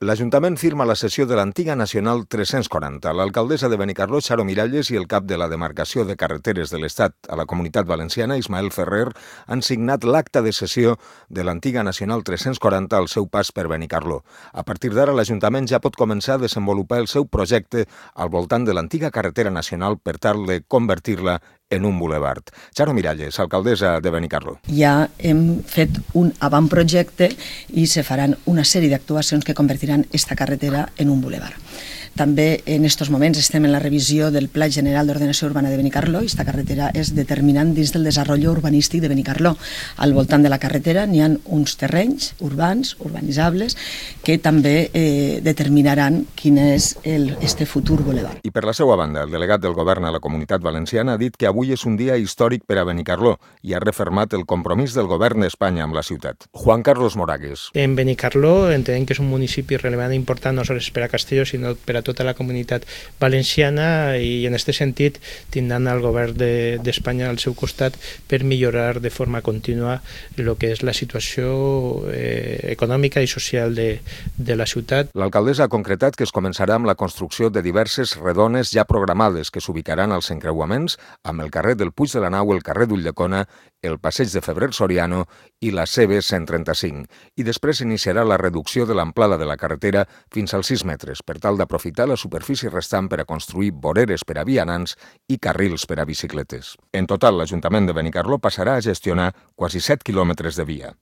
L'Ajuntament firma la cessió de l'antiga Nacional 340. L'alcaldessa de Benicarló, Charo Miralles, i el cap de la demarcació de carreteres de l'Estat a la Comunitat Valenciana, Ismael Ferrer, han signat l'acta de cessió de l'antiga Nacional 340 al seu pas per Benicarló. A partir d'ara, l'Ajuntament ja pot començar a desenvolupar el seu projecte al voltant de l'antiga carretera nacional per tal de convertir-la en un bulevard. Charo Miralles, alcaldessa de Benicarló. Ja hem fet un avantprojecte i se faran una sèrie d'actuacions que convertiran esta carretera en un bulevard. També en aquests moments estem en la revisió del Pla General d'Ordenació Urbana de Benicarló i esta carretera és determinant dins del desenvolupament urbanístic de Benicarló. Al voltant de la carretera n'hi ha uns terrenys urbans, urbanitzables, que també determinaran quin és este futur bulevard. I per la seva banda, el delegat del govern a la Comunitat Valenciana ha dit que avui és un dia històric per a Benicarló i ha refermat el compromís del govern d'Espanya amb la ciutat. Juan Carlos Moragues. En Benicarló entenem que és un municipi relevant i important no només per a Castelló, sinó per a tota la comunitat valenciana, i en aquest sentit tindran el govern d'Espanya al seu costat per millorar de forma contínua el que és la situació econòmica i social de la ciutat. L'alcaldessa ha concretat que es començarà amb la construcció de diverses redones ja programades que s'ubicaran als encreuaments amb el carrer del Puig de la Nau, el carrer d'Ulldecona, el passeig de Febrer Soriano i la CB135. I després iniciarà la reducció de l'amplada de la carretera fins als 6 metres, per tal d'aprofitar la superfície restant per a construir voreres per a vianants i carrils per a bicicletes. En total, l'Ajuntament de Benicarló passarà a gestionar quasi 7 quilòmetres de via.